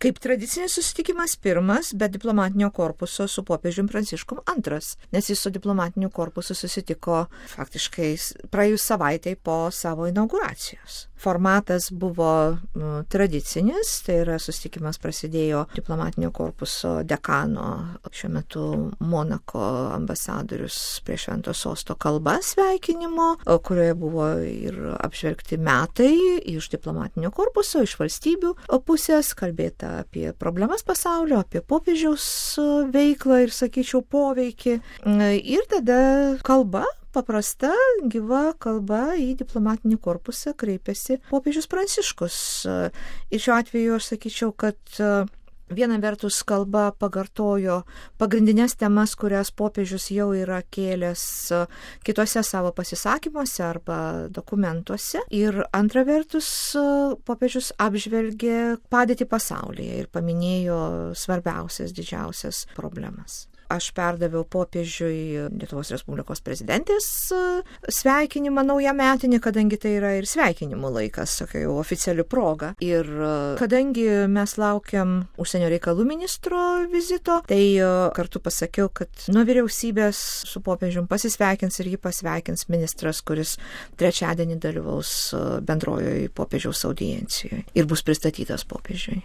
kaip tradicinis susitikimas pirmas, bet diplomatinio korpuso su popiežium Pranciškum antras, nes jis su diplomatiniu korpusu susitiko faktiškai praėjus savaitai po savo inauguracijos. Formatas buvo tradicinis, tai yra susitikimas prasidėjo diplomatinio korpuso dekano, šiuo metu Monako ambasadorius prie Švento Sosto kalba sveikinimo, kurioje buvo ir apžvelgti metai iš diplomatinio korpuso, iš valstybių pusės, kalbėta apie problemas pasaulio, apie popiežiaus veiklą ir, sakyčiau, poveikį. Ir tada kalba, paprasta, gyva kalba į diplomatinį korpusą kreipėsi popiežius Pranciškus. Ir šiuo atveju aš sakyčiau, kad viena vertus kalba pakartojo pagrindinės temas, kurias popiežius jau yra kėlęs kitose savo pasisakymuose arba dokumentuose. Ir antra vertus popiežius apžvelgė padėtį pasaulyje ir paminėjo svarbiausias, didžiausias problemas. Aš perdaviau popiežiui Lietuvos Respublikos prezidentės sveikinimą naujametinį, kadangi tai yra ir sveikinimų laikas, tokia jau oficiali proga. Ir kadangi mes laukiam užsienio reikalų ministro vizito, tai kartu pasakiau, kad nuo vyriausybės su popiežium pasisveikins ir jį pasveikins ministras, kuris trečiadienį dalyvaus bendrojoje popiežiaus audiencijoje ir bus pristatytas popiežiui.